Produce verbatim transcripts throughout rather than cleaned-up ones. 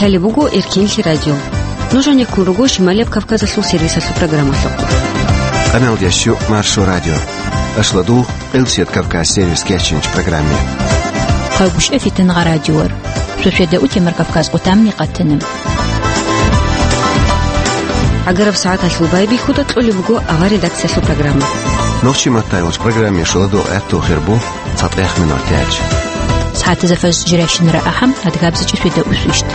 Лъалеб буго Эркенлъи радио. Нуж гьанеккун руго Шималияб Кавказалъул сервисалъул программалъухъ. Къаналдящу Маршо радио. Ашладул Къилсият Кавказ сервис кечинч программе. Хъавгушев Фитангъа радиор. Шошеда утемар Кавказ къутамни къатана. Агараб сагӀаталъул байбихьуда кьолеб буго авар редакциялъул программа. Нохчи маттайвач программе шуладу гӀатту хирбу. ЦатӀех минутач. СагӀатазда фаз жирайщинара ахӀам, адгабзачӀи шведа усвищт.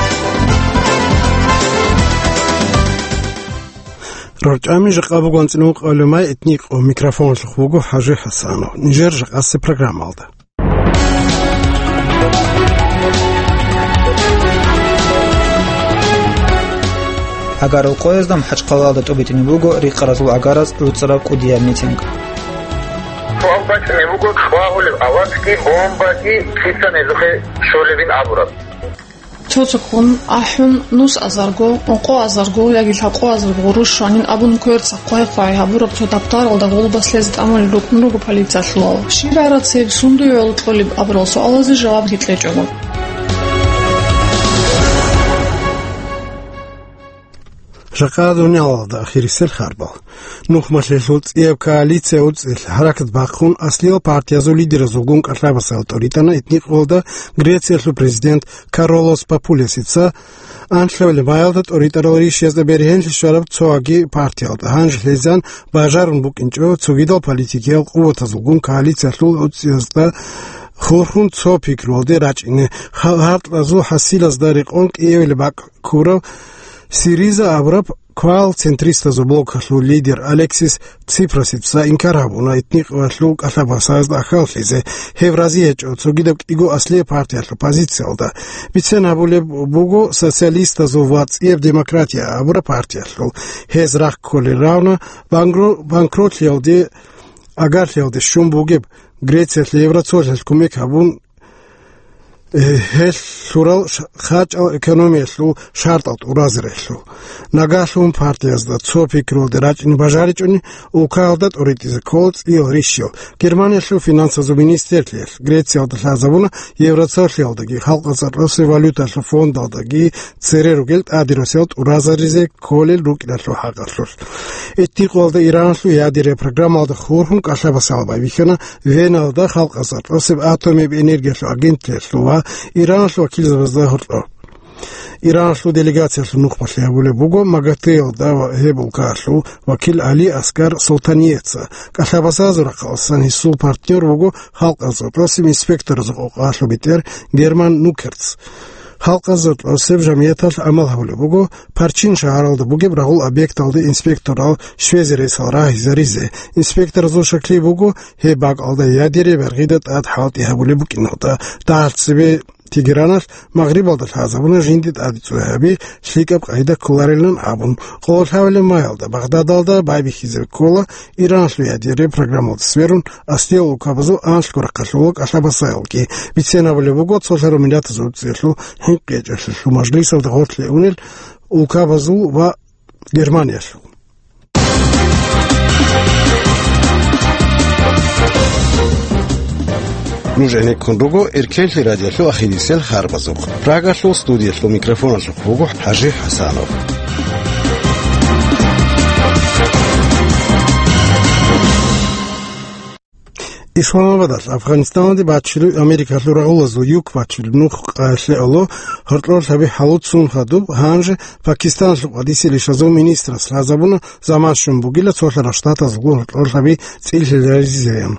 РорчӀами жакъа бугонцӀилун къалумай этникъо микрофонлъухъ буго ХӀажи ХӀасанов. Нижер жакъасе программалда. Агарул къоязда МахӀачхъалалда тӀубитӀине буго рикъаразул агараз гӀуцӀараб кӀудияб митинг. Суал бачӀунеб буго, чӀвагьулеб аватги, бомбаги лъица незухъе щолебин абураб. Цо-цоккун ахӀун, нус азарго, ункъо азарго яги лъабкъо азарго гъурущ щванин абун кверцахъ хъвай-хъвай гьабураб цо даптаралда гъулбас лъезе тӀамулел рукӀун руго полициялъулал. Щиб гӀарацеб, сунда гӀоло кьолеб абурал суалазе жавабги кьечӀого. Жакъа дуниялалда ахирисел харбал. Нухмалъелъул цӀияб коалиция уцӀилъ хӀаракат бахъун, аслиял партиязул лидеразулгун кӀалъабасал тӀоритӀана этникъвалда Грециялъул президент Каролос Папулесица. Анлъабилеб майалда тӀоритӀарал ришязда бергьенлъи щвараб цоги партиялда гьанже лъезан бажарун букӀинчӀо цогидал политикиял къуватазулгун коалициялъул уцӀиязда хурхун цо пикруялде рачӀине. Ха-, гьаркьазул хӀасилазда рекъон кӀиявилеб бакӀ ккурав Сириза абураб квал-центристазул блокалъул лидер Алексис Ципрасица инкар гьабуна этникъвалъул кӀалъабасазда ахӀаллъизе, гьев разиячӀо цогидаб кӀиго аслияб партиялъул позициялда. Бицен гьабулеб буго социалистазул ва цӀияб демократия абураб партиялъул. Гьез рахъ кколел равна банкро-, банкротлъиялде агарлъиялде щун бугеб Грециялъе Евроцолъалъ кумек гьабун, э, гьелъ лъурал ш-, хачӀал экономиялъул шартӀал тӀуразарелъул. Нагагьлъун партиязда цо пикрулде рачӀине бажаричӀони, улкаялда тӀоритӀизе ккола цӀиял рищал. Германиялъул финансазул министрлъиялъ Грециялда лъазабуна Евроцолъиялдаги халкъалъул росулъ валюталъул фондалдаги цере ругел тӀаде росел тӀуразаризе кколел рукӀиналъул хӀакъалъулъ. Этникъвалда Ираналъул ядерия программалда хурхун кӀалъабасал байбихьана Веналда халкъалъул росеб атомияб энергиялъул агенталъул ва Ираналъул вакилзабазда гьоркьоб. Ираналъул делегациялъул нухмалъи гьабулеб буго МАГАТЭялда ва гьеб улкаялъул вакил Али Аскар Солтаниеца. КӀалъабасазул рахъалъан гьесул партнер вуго халкъалъул росеб инспекторазул къокъалъул бетӀер Герман Нукерц. Халкъалъул росеб жамияталъ гӀамал гьабулеб буго Парчин шагьаралда бугеб рагъул объекталде инспекторал щвезе ресал рагьизаризе. Инспекторазул шаклъи буго, гьеб бакӀалда ядерия бергъида тӀад хӀалтӀи гьабулеб букӀиналда. ДагӀалцебе Тегераналъ Магърибалда лъазабуна жинди тӀаде цӀуй гьаби лъикӀаб къайда кколарилан абун. Къолъабилеб майалда Багъдадалда байбихьизе ккола Ираналъул ядерия программалда сверун аслиял улкабазул анлъго рахъалъула кӀалъабасаялги. Бицен гьабулеб буго Цолъараб Миллатазул УцӀиялъул ХӀинкъичӀелъул мажлисалда гъорлъ унел улкабазул ва Германиялъул. Нуж гӀенеккун руго Эркенлъи радиолъул ахирисел харбазухъ. Прагалъул студиялъул микрофоналъухъ буго ХӀажи ХӀасанов. Исламабадалъ Афганистаналде бачилуй Америкалъул рагъулазул юк бачилеб нух къайгълъи гӀоло гьоркьор лъаби хӀалуцун хадуб, гьанже Пакистаналъул къвадисел ишазул министрас лъазабуна заман щун бугила цолъарал штатазулгун гьоркьор лъаби цӀилъизаризеян.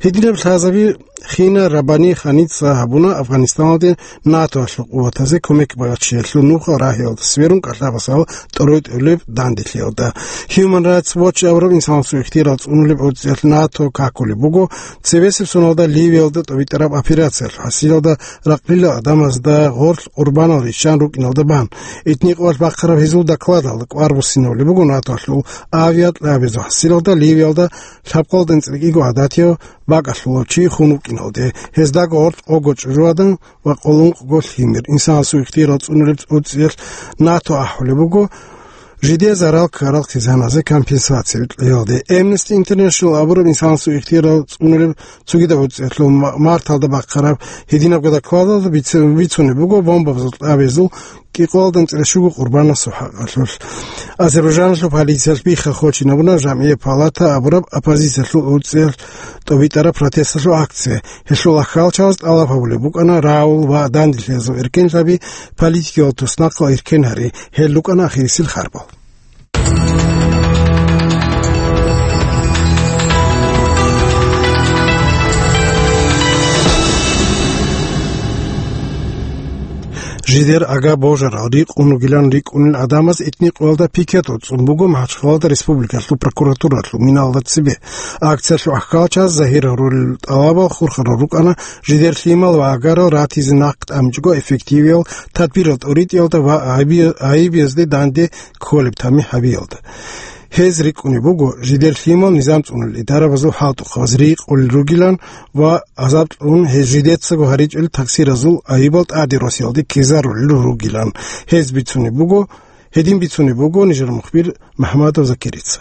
Гьединаб лъазаби Хина Рабани Ханица гьабуна Афганистаналде НАТОялъул къуватазе кумек бачиялъул нухал рагьиялда сверун кӀалъабасал тӀоритӀулеб данделъиялда. Human Rights Watch абураб инсанасул ихтияр цӀунулеб уцӀиялъ НАТО какулеб буго цебесеб соналда Ливиялда тӀобитӀараб операциялъ хӀасилалда ракълила адамазда гъорлъ къурбанал риччан рукӀиналда бан. Этникъвалъ бахъараб гьезул докладалда кӀвар буссинаулеб буго НАТОялъул авиакьабазул хӀасилалда Ливиялда лъабкъалда анцӀила кӀиго гӀадатияв бакӀалъулав чи хун вукӀиналде, гьездаго гъорлъ къого чӀужуадан ва къоло ункъго лъимер. Инсанасул ихтияр цӀунулеб уцӀиялъ НАТО ахӀулеб буго, Жидее зарал ккарал хъизаназе компенсация кьеялде. Amnesty International абураб инсанасул ихтияр цӀунулеб цогидаб гӀуцӀиялъул ма-, марталда бахъараб гьединабго докладалда бице-, бицунеб буго бомбабазул тӀабазул кӀикъоялда анцӀила щуго къурбанасул хӀакъалъулъ. Азербайжаналъул полициялъ бихха-хочинабуна Жамгьият палата абураб оппозициялъул гӀуцӀиялъ тӀобитӀараб протесталъул акция. Гьелъул аххалчагъаз тӀалаб гьабулеб букӀана рагӀул ва данделъиязул эркенлъаби, политикиял туснахъал эркен гьари. Гьел рукӀана ахирисел харбал. Жидер ага-божарал рикъун ругилан рикӀкӀунел гӀадамаз итни къоялда пикет гӀуцӀун буго МахӀачхъалада республикалъул прокуратуралъул миналда цебе. Акциялъул ахкалчаз загьир гьарулел тӀалабал хурхарал рукӀана жидер лъимал ва агарал ратизе нахъ тӀамичӀого эффективиял тадбирал тӀуритӀиялда ва гӀайби-, гӀайибиязде данде кколеб тамихӀ гьабиялда. Гьез рикӀкӀунеб буго, жидер лъимал низам цӀунулел идарабазул хӀалтӀухъабаз рикъулел ругилан ва азаб кьун гьез жидецаго гьаричӀел таксиразул гӀайибал тӀаде росиялде ккезарулел ругилан. Гьез бицунеб буго, гьедин бицунеб буго нижер мухбир МухӀамадов Закирица.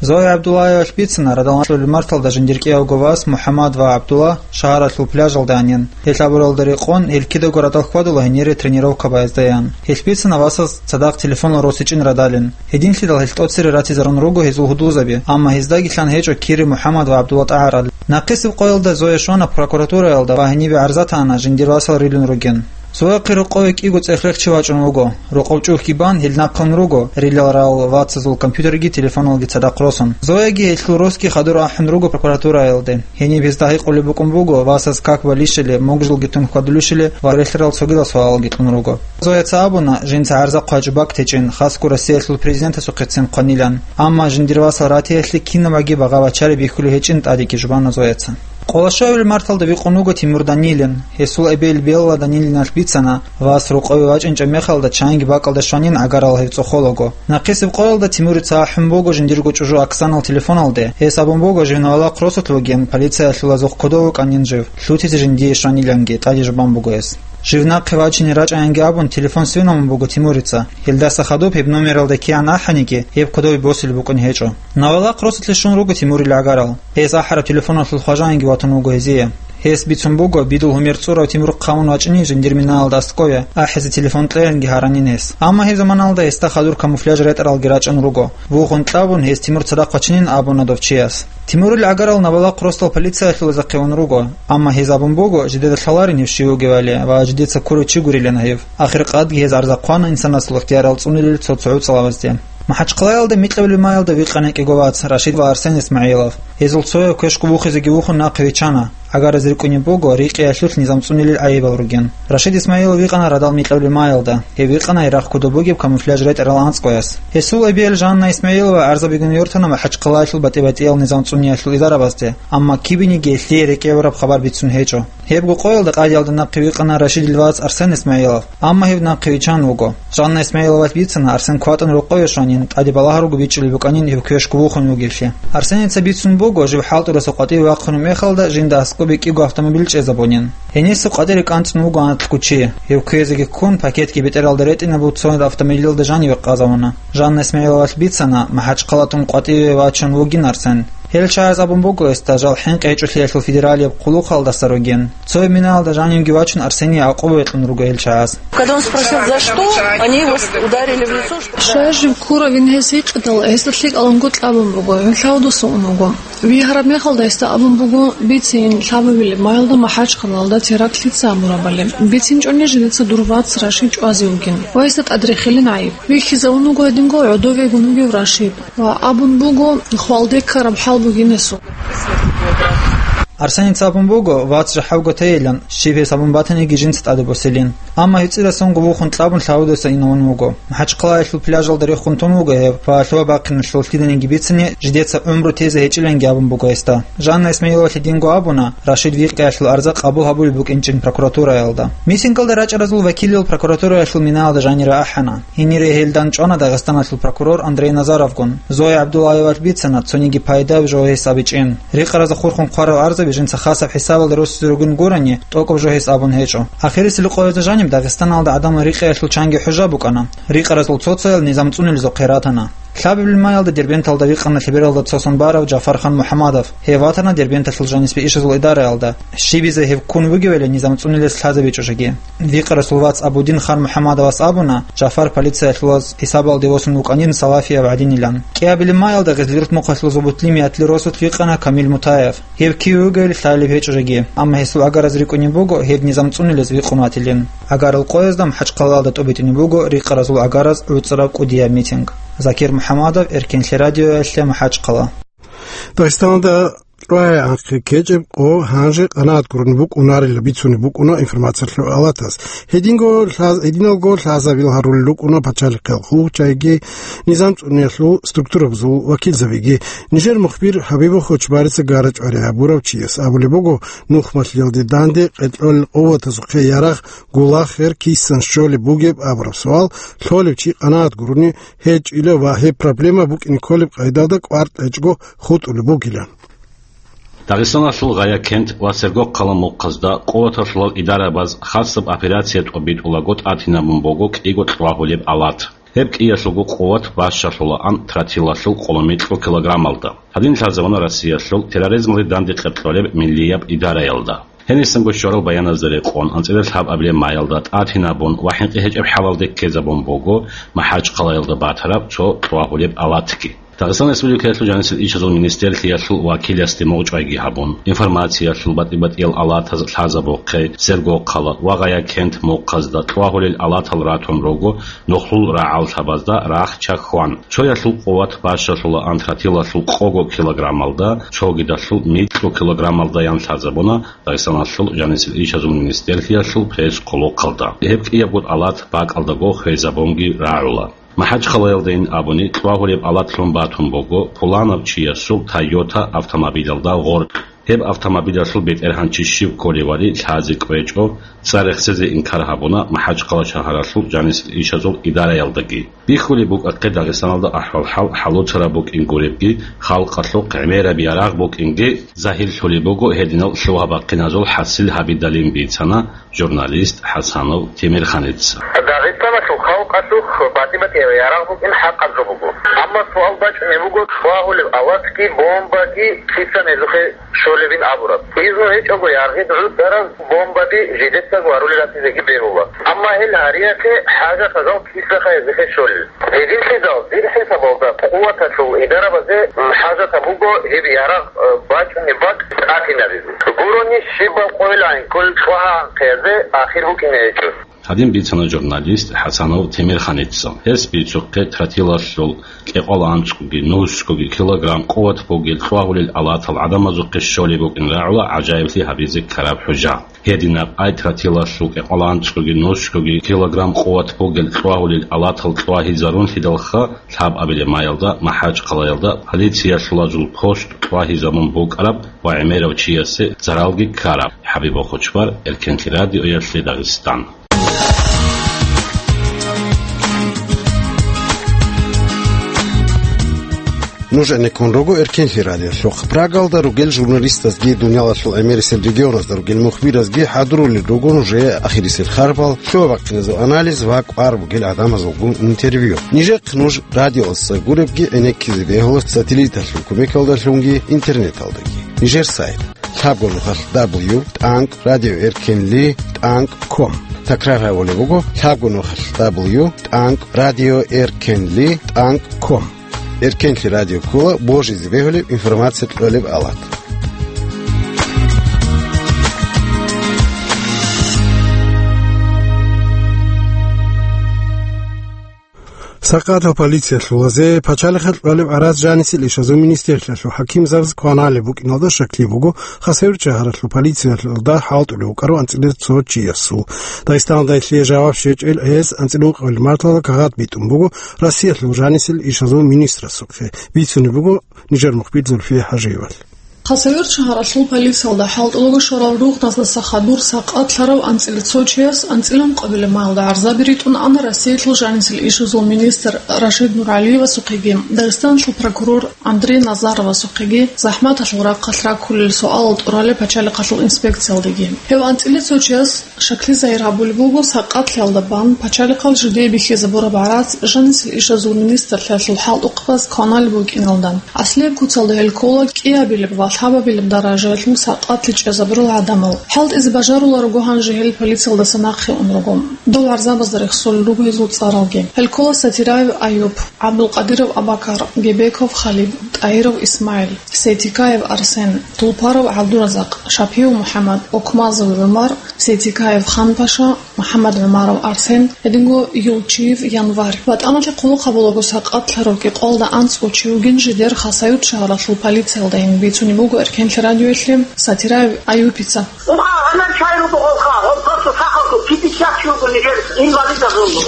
Зоя ГӀабдуллаевалъ бицана радал нахъулел марталда жиндир кӀиявго вас МухӀаммад ва ГӀабдулла шагьаралъул пляжалда анин. Гьел абуралда рекъон, гьел кидаго радал хьвадула гьенире тренировка баяздаян. Гьелъ бицана васас цадахъ телефонал росичӀин радалин. Гьединлъидал гьел тӀоцере ратизарун руго гьезул гьудулзаби, амма гьездаги лъан гьечӀо кири МухӀаммад ва ГӀабдулла тӀагӀарал. Нахъисеб къоялда Зоя щвана прокуратураялда ва гьенибе гӀарзатана жиндир васал рилун ругин. Зояхъе рокъове кӀиго цӀех рехчи вачӀун вуго. Рокъов чӀухӀги бан, гьел нахъун руго, рилал рал вацазул компьютерги телефоналги цадахъ росун. Зояги гьелъул росги хадур ахӀун руго прокуратураялде. Гьениб гьезда гьикъулеб букӀун буго, васас как балищали, мугъ-жулги тун хьвадулищали ва релълъарал цогидал суалалги кьун руго. Зояца абуна, жинца гӀарза хъвачӀо бакӀ течӀин, хасго Россиялъул президентасухъецин хъванилан. Амма жиндир васал ратиялъе кинабаги багъа-бачари бихьулеб гьечӀин тӀадеги жубана Зояца. Къолошоевил марталда вихъун вуго Тимур Данилин. Гьесул эбел Белла Данилиналъ бицана, вас рокъове вачӀинчӀеб мехалда чанги бакӀалда щванин гӀагарал гьев цӀохолаго. Нахъисеб къоялда Тимурица ахӀун буго жиндирго чӀужу Оксанал телефоналде. Гьес абун буго, жив Новолахъ росулъ вугин, полициялъул азухъ кодов вукӀанин жив, лъутизе жиндие щваниланги тӀаде жубан буго гьес. Жив нахъе вачине рачӀаянги абун, телефон сверун буго Тимурица. Гьелдаса хадуб гьеб номералда кигӀан ахӀаниги, гьеб кодове босулеб букӀун гьечӀо. Новолахъ росулъе щун руго Тимурил гӀагарал. Гьес ахӀараб телефоналъул хважаянги ватун вуго гьезие. Гьес бицун буго, бидул гьумер цӀурав Тимур хъамун вачӀинин жиндир минаялда аскӀове, ахӀизе телефон кьеянги гьаранин гьес. Амма гьеб заманалда гьесда хадур камуфляж ретӀаралги рачӀун руго. Вухун кьабун, гьес Тимур цадахъ вачинин абуна дов чияс. Тимурил гӀагарал Новолахъ росдал полициялъул захъе ун руго, амма гьез абун буго, жидеда лъаларин гьев щив вугевали ва жидеца ккурав чи гурилан гьев. Ахиркъадги гьез гӀарза хъвана инсанасул ихтиярал цӀунулел цо-цо гӀуцӀалабазде. МахӀачхъалаялда микьабилеб маялда вихъана кӀиго вац, Рашид ва Арсен Исмагьилов. Гьезул цояв квешго вухизе вихьун нахъе вичана. ГӀагараз рикӀкӀунеб буго рикъиялъулъ низам цӀунулел гӀайибал ругин. Рашид Исмагьилов вихъана радал микьабилеб маялда. Гьев вихъана гьерахъ кодоб бугеб камуфляж ретӀарал анцӀгояс. Гьесул эбел Жанна Исмагьилова гӀарза бигун йортана МахӀачхъалаялъул батӀи-батӀиял низам цӀуниялъул идарабазде, амма кибениги гьелъие рекӀелараб хабар бицун гьечӀо. Гьебго къоялда къадиялда нахъе вихъана Рашидил вац Арсен Исмагьилов, амма гьев нахъе вичан вуго. Жанна Исмагьиловалъ бицана Арсен кватӀун рокъове щванин, тӀаде балагьарго бичӀчӀулеб букӀанин гьев квешго вухун вугевлъи. Арсеница бицун буго, жив хӀалтӀурасе къватӀиве вахъунеб мехалда жинда аскӀобе кӀиго автомобиль чӀезабунин. Гьениса къватӀире кӀанцӀун вуго анкьго чи. Гьев кквезеги ккун, пакетги бетӀералда ретӀинаб цо автомобилалда жаниве къазавуна. Жанна Исмагьиловалъ бицана, МахӀачхъалатун къватӀиве вачун вугин Арсен. Гьел чагӀаз абун буго гьесда жал хӀинкъи гьечӀолъиялъул федералияб хъулухъалдаса ругин. Цояб минаялда жанивги вачун Арсение гӀакъуба кьун руго гьел чагӀаз. Когда он спросил, за что, они его с-, ударили в лицо. Щай жив ккуравин гьес гьикъидал, гьесда лъикӀаланго кьабун буго, гьев лъавдаса ун вуго. Вигьараб мехалда гьесда абун буго, бицин, лъабабилеб маялда МахӀачхъалаялда теракт лъица гьабурабали. БицинчӀони жидеца дур вац Рашид чӀвазе вугин ва гьесда тӀадрехилин гӀайиб. Вихьизавун вуго гьединго гӀодовегун вугев Рашид ва абун буго, хвалде ккараб хӀал бугин гьесул. Арсеница абун буго, вац жахӀалго тейилан, щиб гьес абун батаниги жинца тӀаде босилин. Амма гьев цӀирасунго вухун кьабун лъавдаса инавун вуго. МахӀачхъалаялъул пляжалда рехун тун вуго гьев ва лъугьа-бахъиналъул лъиданиги бицани, жидеца гӀумру тезе гьечӀиланги абун буго гьесда. Жанна Исмагьиловалъ гьединго абуна, Рашид вихъиялъул арза къабул гьабулеб букӀинчӀин прокуратураялда. Митингалда рачӀаразул вакилал прокуратураялъул минаялда жанире ахӀана. Гьенире гьелдан чӀвана Дагъистаналъул прокурор Андрей Назаровгун. Зоя ГӀабдуллаевалъ бицана цониги пайда жо гьес абичӀин. Рекъаразда хурхун хъварал арзаби Жинца хасаб хӀисабалда росизе ругин гурани, тӀокӀаб жо гьес абун гьечӀо. Ахирисел къоязда жаниб Дагъистаналда гӀадамал рикъиялъул чанги хӀужа букӀана. Рикъаразул цо-цоял низам цӀунулезухъе ратана. Лъабабилеб маялда Дербенталда вихъана лъебералда цо сон барав Жафархан МухӀамадов. Гьев ватана Дербенталъул жанисбе ишазул идараялда. Щибизе гьев ккун вугевали низам цӀунулес лъазабичӀо жеги. Вихъарасул вац Абудин Хан МухӀамадовас абуна, Жафар полициялъулаз хӀисабалде восун вукӀанин Салафияб гӀадинилан. КӀиабилеб маялда гъезлъи рутмухъалъулазул бутлимиятлъи росулъ вихъана Камил Мутаев. Гьев киве вугевали лъалеб гьечӀо жеги, амма гьесул гӀагараз рикӀкӀунеб буго гьеб низам цӀунулез вихъун ватилин. ГӀагарал къоязда МахӀачхъалаялда тӀубитӀунеб буго рикъаразул гӀагараз гӀуцӀраб кӀудияб митинг. Закир МухӀамадов, Эркенлъи радиоялъе, МахӀачхъала. Дагъистаналда кьвагӀи анхъе ккечӀеб къо гьанже къанагӀат гурони букӀунарила бицунеб букӀуна информациялъул алатас. Гьединго лъаз-, гьединалго лъазабил гьарулел рукӀуна пачалихъал хъулухъчагӀиги, низам цӀуниялъул структурабазул вакилзабиги. Нижер мухбир Хабибов Хочбарица гара-чӀвари гьабурав чияс абулеб буго, нухмалъиялде данде къеркьолел къуватазухъе ярагъ гулахъер кисан щолеб бугеб абураб суал лъолев чи къанагӀат гурони гьечӀила ва гьеб проблема букӀине кколеб къайдалда кӀвар кьечӀого хутӀулеб бугилан. Дагъистаналъул Гъая кент ва Сергокъала мухъазда къуваталъулал идарабаз хасаб операция тӀобитӀулаго тӀатинабун буго кӀиго кьвагьулеб алат. Гьеб кӀиялъулго къуват бащалъулаан тротилалъул къоло микьго килограммалда. Гьадин лъазабуна Россиялъул терроризмалде данде къеркьолеб миллияб идараялда. Гьенисанго щварал баяназда рекъон, анцӀила лъабабилеб маялда тӀатинабун ва хӀинкъи гьечӀеб хӀалалде ккезабун буго МахӀачхъалаялда батараб цо кьвагьулеб алатги. Дагъистан Республикаялъул жанисел ишазул министрлъиялъул вакиласде мугъчӀвайги гьабун, информациялъул батӀи-батӀиял алатаз лъазабухъе Сергокъала ва Гъая кент мухъазда кьвагьулел алатал ратун руго нухлул рагӀаллъабазда рахча хьван. Цоялъул къуват бащалъулаан тротилалъул къого килограммалда, цогидалъул микьго килограммалдаян лъазабуна Дагъистаналъул жанисел ишазул министрлъиялъул пресс-къулухъалда. Гьеб кӀиябго алат бакӀалдаго хвезабунги рагӀула. МахӀачхъалаялдайин абуни, кьвагьулеб алат лъун батун буго пуланав чиясул Toyota автомобилалда гъоркь. Гьеб автомобилалъул бетӀергьанчи щив кколевали лъазе кӀвечӀо, цӀар рехсезе инкар гьабуна МахӀачхъала шагьаралъул жанисел ишазул идараялдаги. Бихьулеб букӀахъе Дагъистаналда ахӀвал-хӀал хӀалуцараб букӀин гуребги, халкъалъухъ гӀемераб ярагъ букӀинги загьирлъулеб буго гьединал лъугьа-бахъиназул хӀасил гьабидалин бицана журналист ХӀасанов Темирханица. Дагъистаналъул халкъалъухъ батӀи-батӀиял ярагъ букӀин хӀакъаб жо буго. Амма суал бачӀунеб буго, кьвагьулеб алатги бомбаги кисан гьезухъе щолебин абураб. Изну гьечӀого яргъи гӀудараз бомбаби жидецаго гьарулел ратизеги бегьула. Амма гьел гьариялъе хӀажатазул кисаха гьезухъе щолел. Гьединлъидал дир хӀисабалда къуваталъул идарабазе хӀажатаб буго гьеб ярагъ, э, бачӀунеб бакӀ тӀатинабизе. Гурони щибаб къойилан кколел кьвагьа анхъиязде ахир букӀине гьечӀо. Гьадин бицана журналист ХӀасанов Темирханица. Гьес бицухъе тротилалъул кӀикъоялда анцӀгоги нусгоги килограмм къуват бугел кьвагьулел алатал гӀадамазухъе щолеб букӀин рагӀула гӀажаиблъи гьабизе ккараб хӀужа. Гьединаб ай тротилалъул кӀикъоялда анцӀгоги нусгоги килограмм къуват бугел кьвагьулел алатал кьвагьизарунлъидалха, лъабабилеб маялда МахӀачхъалаялда полициялъулазул пост кьвагьизабун букӀараб ва гӀемерав чиясе заралги ккараб. ХӀабиб Бохочбар, Эркенлъи радиоялъе Дагъистан. Нуж гӀенеккун руго Эркенлъи радиолъухъ. Прагалда ругел журналистазги дуниялалъул гӀемерисел регионазда ругел мухбиразги хӀадурулел руго нужее ахирисел харбал, лъугьа-бахъиназул анализ ва кӀвар бугел гӀадамазулгун интервью. Нижехъ нуж радиоялдаса гуребги гӀенеккизе бегьула сателлиталъул кумекалдалъунги интернеталдаги. Нижер сайт: лъабго нухалъ дабл ю тӀанкӀ радиоэркенли тӀанкӀ ком. Такрар гьабулеб буго: лъабго нухалъ дабл ю тӀанкӀ радиоэркенли тӀанкӀ ком. Эркенлъи радио ккола божизе бегьулеб информация кьолеб алат. Сакъатал полициялъулазе пачалихъе кьолеб гӀарац жанисел ишазул министрлъиялъул хӀакимзабаз кваналеб букӀиналда щаклъи буго, Хасавюрт шагьаралъул полициялда хӀалтӀулев вукӀарав анцӀила цо чиясул. Дагъистаналда гьелъие жаваб щвечӀел гьес анцӀила ункъабилеб марталда кагъат битӀун буго Россиялъул жанисел ишазул министрасухъе, бицунеб буго нижер мухбир Зульфия ХӀажиевалъ. Хасавюрт шагьаралъул полициялда хӀалтӀулаго щварал рухӀназда хадур сакъатлъарав анцӀила цо чияс анцӀила ункъабилеб майилда гӀарзаби ритӀун ана Россиялъул жанисел ишазул министр Рашид Нуралиевасухъеги Дагъистаналъул прокурор Андрей Назаровасухъеги захӀматалъул рахъалъ раккулел суалал тӀуралел пачалихъалъул инспекциялдаги. Гьев анцӀила цо чияс шаклъи загьир гьабулеб буго сакъатлъиялда бан пачалихъал жидее бихьизабураб гӀарац жанисел ишазул министрлъиялъул хӀалтӀухъабаз кваналеб букӀиналда. Аслияб куцалда гьел ккола кӀиабилеб ва лъабабилеб даражаялъул сакъатлъи чӀезабурал гӀадамал. ХӀалтӀизе бажаруларого гьанже гьел полициялдаса нахъе ун руго. Дол гӀарзабазда рехсолел руго гьезул цӀаралги. Гьел ккола Сатираев Аюб, ГӀабдулкъадиров Абакар, Гебеков Халид, ТӀагьиров ИсмагӀил, Сейтикаев Арсен, Тулпаров ГӀабдуразакъ, Шапиев МухӀаммад, Окмазов ГӀумар, Сейтикаев Ханпаша, МухӀаммад ГӀумаров Арсен, гьединго Юлчиев Январь. ВатӀаналъе хъулухъ гьабулаго сакъатлъарав кӀикъоялда анцӀго чи вугин жидер Хасавюрт шагьаралъул полициялда гьениб бицунеб буго Эркенлъи радиоялъе Сатираев Аюпица. Уха, гьанан чай руго гъолха, гъол просто сахалъул пятьдесят чи руго нижер инвалидазул, э,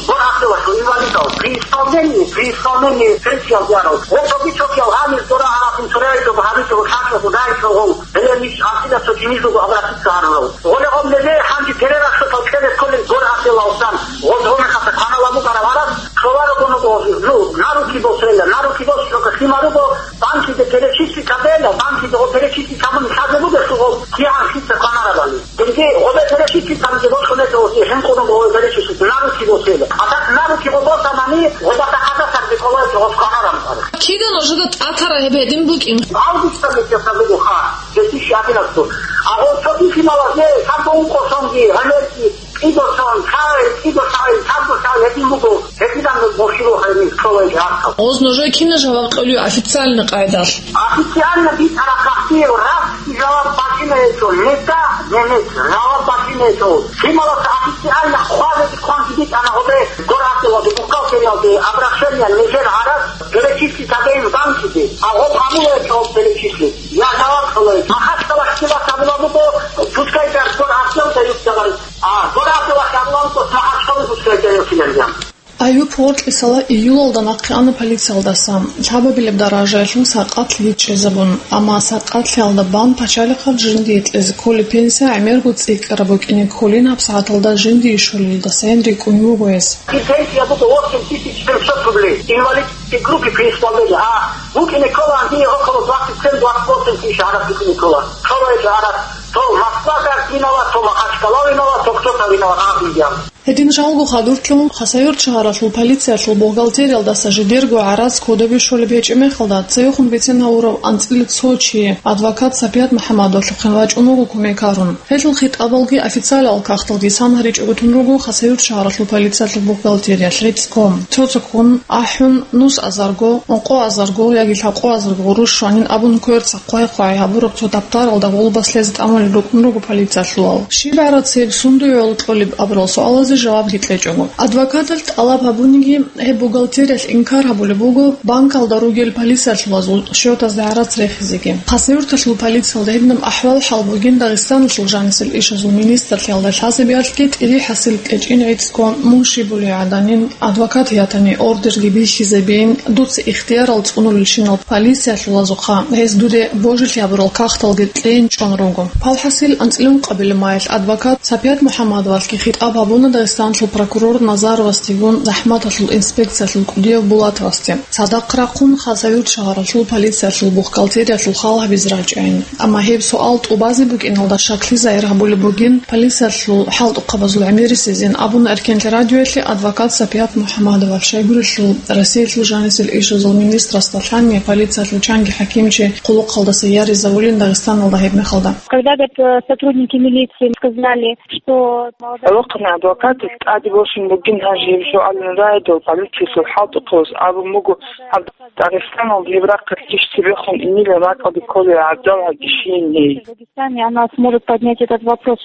гор гьабилалъул инвалидал. При исполнении, при исполнении пенсиял диарал. Гъол тоби чокиял гьанир дора гьарахъун цораялъул гьабичӀого лъачӀого дайчӀого гъол. Гьеле ниж гьасила цо чинизего обратиться гьарурав. Гъоле гъоб лезе гьанже перерахъалъал кьезе кколел гор гьабилалсан. Гъол гъомехъаса кваналамугара варас, шоларо гонуго, ну, на руки босела, на руки бос, шока химаруго, банкиде перечислить гьабела, банкиде гъо перечислить гьабуни лъазе бугелъул гъо кигӀан лъица кванарабали. Цинги гъобе перечислить гьабизе бокьунелъул гъо хӀинкъуного гъобе перечислить, на руки босела. А так на руки гъо босанани, гъоба тахада сагде кӀолаев гъос кванаран. Кида нужеда тӀатара гьеб гьедин букӀин? Августа месяца буго ха, две тысячи одиннадцатого. А гъо цо бихьиналазе, сабго ункъо сонги, гьанерги, кӀидо сон, цай, кӀидо цай, сабго цай гьедин буго, гьединан мурши рухӀайни кколай гьаркал. Оз нужее кина жаваб кьолев официальный къайдалъ? Официально битӀарахъахъе раз жаваб бачӀинайчӀо, мета, немец, жаваб бачӀинайчӀо. Лъималаса официально хъвазе кванги битӀана гъобе, гор гьабилалде, бухгалтериялде, обращение нижер гьарас, перечислить гьабейин банкиде, а гъоб гьабулайчӀо перечислить. Я жаваб кьолай. Махачкала хтила сабила буго, пускай гар гор гьабилалда юкъ А, гора абдулахъ абуланго, магьачкъалазул цоясилан. Аюб гъоркьисала июлалда нахъе ана полициялдаса, лъабабилеб даражаялъул сакъатлъи чӀезабун, амма сакъатлъиялда бан пачалихъаб жиндие кьезе кколеб пенсия гӀемерго цӀикӀкӀараб букӀине кколин гьабсагӀаталда жиндие щолелдасайин рикӀкӀун вуго гьес. И пенсия буго восемь тысяч семьсот рублей. Инвалидской группе при исполнении. А букӀине ккола гьанже около двадцать семь двадцать восемь тысяч гьараб букӀине ккола. Цо райчо гьараб, цо Москва гьаркинала, цо Махачкала винала, цо кто-то винала, а, винал. Гьедин жалго хадурлъун, Хасавюрт шагьаралъул полициялъул бухгалтериялдаса жидерго гӀарац кодобе щолеб гьечӀеб мехалда, цевехун бицен гьавурав анцӀила цо чи, адвокат Сапият МухӀаммадовалъухъе вачӀун вуго кумекарун. Гьелъул хитӀабалги официалал кагъталги сан гьаричӀого тун руго Хасавюрт шагьаралъул полициялъул бухгалтериялъ гӀицӀго. Цо-цоккун, ахӀун, нус азарго, ункъо азарго яги лъабкъо азарго гъурущ щванин абун кверца хъвай-хъвай гьабураб цо таптаралда гъулбас лъезе тӀамулел рукӀун руго полициялъулал. Щиб гӀарац гьеб, сундуе гӀоло кьолеб абурал суалазе жавабги кьечӀого. Адвокаталъ тӀалаб гьабуниги, гьеб бухгалтериялъ инкар гьабулеб буго банкалда ругел полициялъулазул счетазда гӀарац рехизеги. Хасавюрталъул полициялда гьединаб ахӀвал-хӀал бугин Дагъистаналъул жанисел ишазул министрлъиялда лъазабиялъги тӀири хӀасил кьечӀин гӀицӀго мун щибулей гӀаданин, адвокат ятани ордерги бихьизабейин, дуца ихтиярал цӀунулелщинал полициялъулазухъа гьез дуде божилъи гьабурал кагъталги кьейин чӀун руго. Палхасил анцӀила ункъабилеб майилъ адвокат Сапият МухӀаммадовалъги хитӀаб гьабуна Дагъистаналъул прокурор Назаровасдегун захӀматалъул инспекциялъул кӀудияв Булатовасде. Цадахъ рахъун Хасавюрт шагьаралъул полициялъул бухгалтериялъул хал гьабизе рачӀайин. Амма гьеб суал тӀубазе букӀиналда шаклъи загьир гьабулеб бугин полициялъул хӀалтӀухъабазул гӀемерисезин абуна Эркенлъи радиоялъе адвокат Сапият МухӀаммадовалъ щайгурелъул Россиялъул жанисел ишазул министрасда лъани полициялъул чанги хӀакимчи хъулухъалдаса яризавулин Дагъистаналда гьебмехалда. Когда, говорит, э, сотрудники милиции сказали, что молодая... Гьалухъана адвокатас тӀаде босун бугин гьанже гьеб суалин рагӀидал полициялъул хӀалтӀухъабаз абун буго, гьаб Дагъистаналда гьеб рахъалъ иш цебехун инилан ракӀалде кколей гӀадал гьагишин гьей. Дагестане она сможет поднять этот вопрос.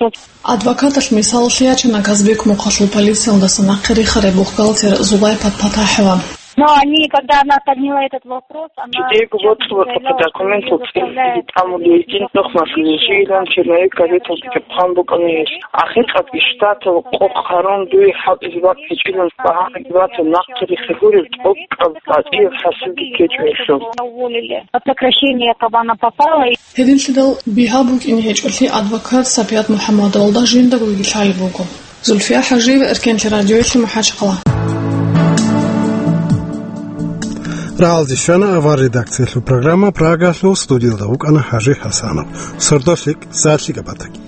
Адвокаталъ мисалалъе ячана Казбек мухъалъул полициялдаса нахъе рихарай бухгалтер Зулайпат Патахова. Но они, когда она подняла этот вопрос, она Кидейго воцӀцӀулаха документал цӀилъиги тӀамулейгин нухмалъулей жийилан черновик газеталги чӀухӀун букӀана гьелъ. Ахиркъад иштатал къокъ гьарун дуе хӀалтӀизе бакӀ гьечӀилан багьа гьабатун нахъе рихьа гуреб тӀокӀаб батӀияб хӀасилги ккечӀо гьелъул. Уволили. Под сокращение Кабана попала. Гьединлъидал бигьа букӀине гьечӀолъи адвокат Сапият МухӀаммадовалда жиндаго вигилъайиб буго. Зульфия ХӀажиева, Эркенлъи радиоялъе, МахӀачхъала. Рагьалде щвана авар редакциялъул программа Прагалъул, студиялда вукӀана ХӀажи ХӀасанов. Сордолъи, сагӀатлъи габатаги.